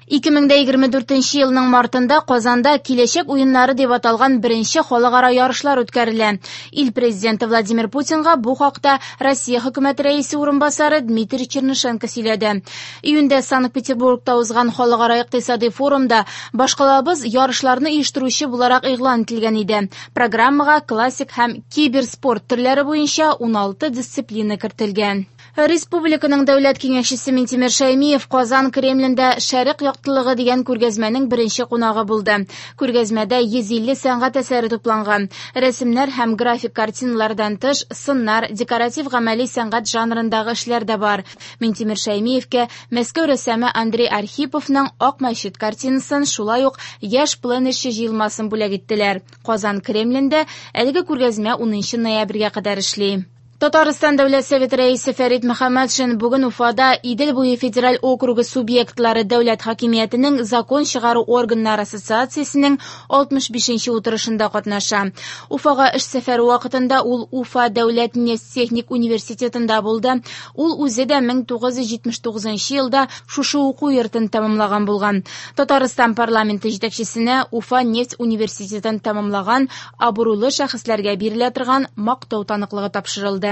2024 елның мартында Казанда Киләчәк уеннары дип аталган беренче халыкара ярышлар үткәрелә. Ил президенты Владимир Путинга бу хакта Россия хөкүмәте рәисе урынбасары Дмитрий Чернышенко сөйләде. Июньдә Санкт-Петербургта узган халыкара икътисади форумда башкалабыз ярышларны оештыручы буларак игълан ителгән иде. Программага классик һәм киберспорт төрләре буенча 16 дисциплина кертелгән. Республиканың дәүләт киңәшчесе Минтимер Шәймиев Казан Кремлендә Шәрык яктылыгы дигән күргәзмәнең беренче кунагы булды. Күргәзмәдә 150 сәнгать әсәре тупланган. Рәсемнәр һәм график картиналардан тыш, сыннар, декоратив гамәли сәнгать жанрындагы эшләр дә бар. Минтимер Шәймиевкә Мәскәү рәссамы Андрей Архиповның Ак мәчет картинасын, шулай ук яшь пленэрчы җыелмасын бүләк иттеләр. Казан Кремлендә әлеге күргәзмә 10 ноябрьгә кадәр эшли. Татарстан Дәүләт Советы рәисе Фәрит Мөхәммәтшин бүген Уфада Идел буе федераль округы субъектлары дәүләт хакимиятенең закон чыгару органнары ассоциациясенең 65-нче утырышында катнаша. Уфага эш сәфәре вакытында ул Уфа дәүләт нефть техник университетында булды. Ул үзе дә 1979 елда шушы уку йортын тәмамлаган булган. Татарстан парламенты җитәкчесенә Уфа нефть университетын тәмамлаган абруйлы шәхесләргә бирелә торган мактау таныклыгы тапшырылды.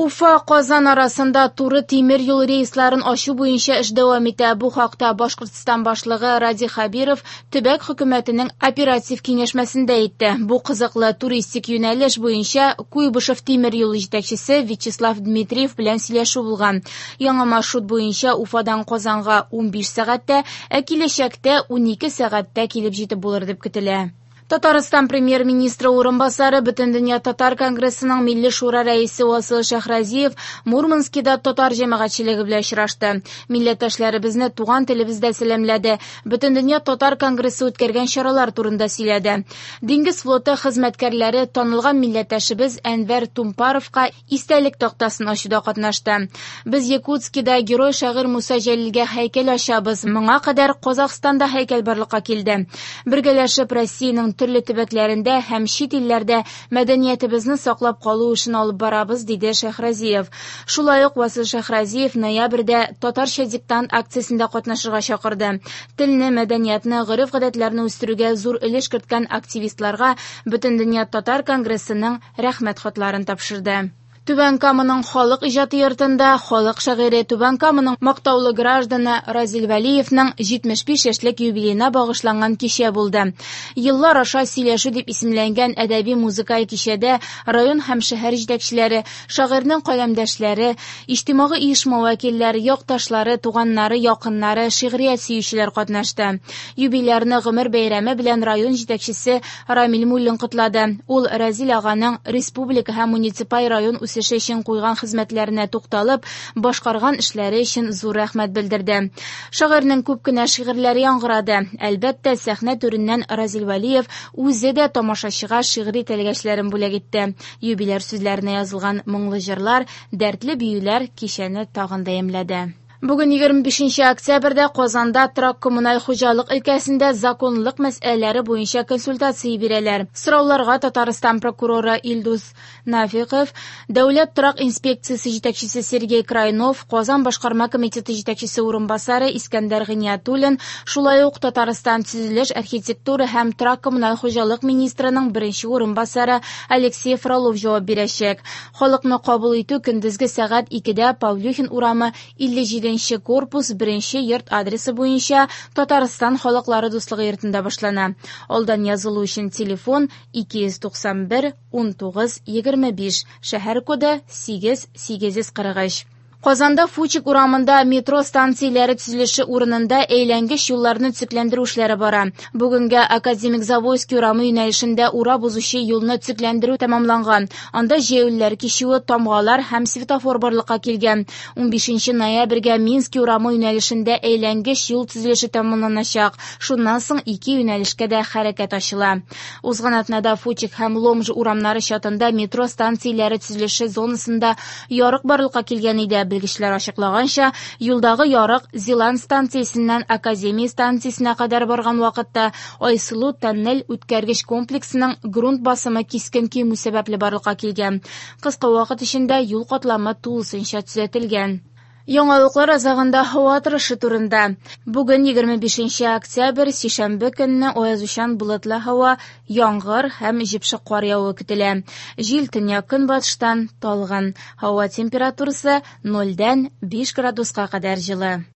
Уфа Казан арасында туры тимер юл рейсларын ачу буенча эш дәвам итә. Бу хакта Башкортстан башлыгы Радий Хәбиров төбәк хөкүмәтенең оператив киңәшмәсендә әйтте. Бу кызыклы туристик юнәлеш буенча Куйбышев тимер юлы җитәкчесе Вячеслав Дмитриев белән сөйләшү булган. Яңа маршрут буенча Уфадан Казанга 15 сәгатьтә, ә киләчәктә 12 сәгатьтә килеп җитеп булыр дип көтелә. Татарстан премьер-министры урынбасары Бөтендөнья татар конгрессының Милли шура рәисе Васил Шәһразиев Мурманскида татар җәмәгатьчелеге белән очрашты. Милләттәшләребезне туган телебездә сәламләде. Бөтендөнья татар конгрессы үткәргән чаралар турында сөйләде. Диңгез флоты хезмәткәрләре танылган милләттәшебез Әнвәр Тумпаровка истәлек тактасын ачуда катнашты. Без Якутскида герой шагыйрь Муса Җәлилгә һәйкәл ачабыз. Моңа кадәр Казахстанда һәйкәл барлыкка килде. Бергәләшеп Россиянең төрле төбәкләрендә һәм чит илләрдә мәдәниятебезне саклап калу эшен алып барабыз, диде Шәһразиев. Шулай ук Васил Шәһразиев ноябрьдә татарча диктант акциясендә катнашырга чакырды. Телне, мәдәниятне, гореф-гадәтләрне үстерүгә зур өлеш керткән активистларга Бөтендөнья татар конгрессының рәхмәт хатларын тапшырды. Түбән Каманың халык иҗаты йортында халык шагыйре Түбән Каманың мактаулы гражданы Разил Вәлиевның 75 яшьлек юбилеена багышланган кичә булды. Еллар аша сөйләшү дип исемләнгән әдәби музыкаль кичәдә район һәм шәһәр җитәкчеләре, шагыйрьнең каләмдәшләре, иҗтимагый оешма вәкилләре, якташлары, туганнары, якыннары, шигърият сөючеләр катнашты. Юбилярны гомер бәйрәме белән район җитәкчесе Рамил Муллин котлады. Ул Разил аганың республика һәм муниципаль район үсеше өчен куйган хезмәтләренә тукталып, башкарган эшләре өчен зур рәхмәт белдерде. Шагыйрьнең күп кенә шигырьләре яңгырады. Әлбәттә, сәхнә түреннән Разил Вәлиев үзе дә тамашачыга шигъри тәлгәшләрен бүләк итте. Юбиляр сүзләренә язылган моңлы җырлар, дәртле биюләр кичәне тагын да ямьләде. Бүген 25 октябрьдә Казанда торак коммуналь хуҗалык өлкәсендә законлылык мәсьәләләре буенча консультация бирәләр. Сорауларга Татарстан прокуроры Илдус Нафиков, Дәүләт торак инспекциясе җитәкчесе Сергей Крайнов, Казан башкарма комитеты җитәкчесе урынбасары Искәндәр Гыйниятуллин, шулай ук Татарстан төзелеш, архитектура һәм торак коммуналь хуҗалык министрының беренче урынбасары Алексей Фролов җавап бирәчәк. Халыкны кабул итү көндезге сәгать 2-дә Павлюхин урамы 57 корпус 1 йорт адресы буенча Татарстан халыклары дуслыгы йортында башлана. Алдан язылу өчен телефон 291 19 25, шәһәр коды 8 843. Казанда Фучик урамында метро станцияләре төзелеше урынында әйләнгеч юлларны төзекләндерү эшләре бара. Бүгенгә Академик Завойский урамы юнәлешендә урап узучы юлны төзекләндерү тәмамланган. Анда җәяүлеләр кичүе, тамгалар һәм светофор барлыкка килгән. 15 ноябрьгә Минский урамы юнәлешендә әйләнгеч юл төзелеше тәмамланачак. Шуннан соң ике юнәлешкә дә хәрәкәт ачыла. Узган атнада Фучик һәм Ломж урамнары чатында метро станцияләре төзелеше зонасында ярык барлыкка килгән иде. Белгечләр ачыклаганча, юлдагы ярык Зилан станциясеннән Академия станциясенә кадәр барган вакытта Айсылу тоннель үткәргеч комплексының грунт басымы кискен кимү сәбәпле барлыкка килгән. Кыска вакыт эчендә юл катламы тулысынча төзәтелгән. Яңалыклар азагында һава торышы турында. Бүген 25 октябрь, сишәмбе көнне аязучан болытлы һава, яңгыр һәм җепшек кар явуы көтелә. Җил төньяк-көнбатыштан талгын. Һава температурасы 0-дән 5 градуска кадәр җылы.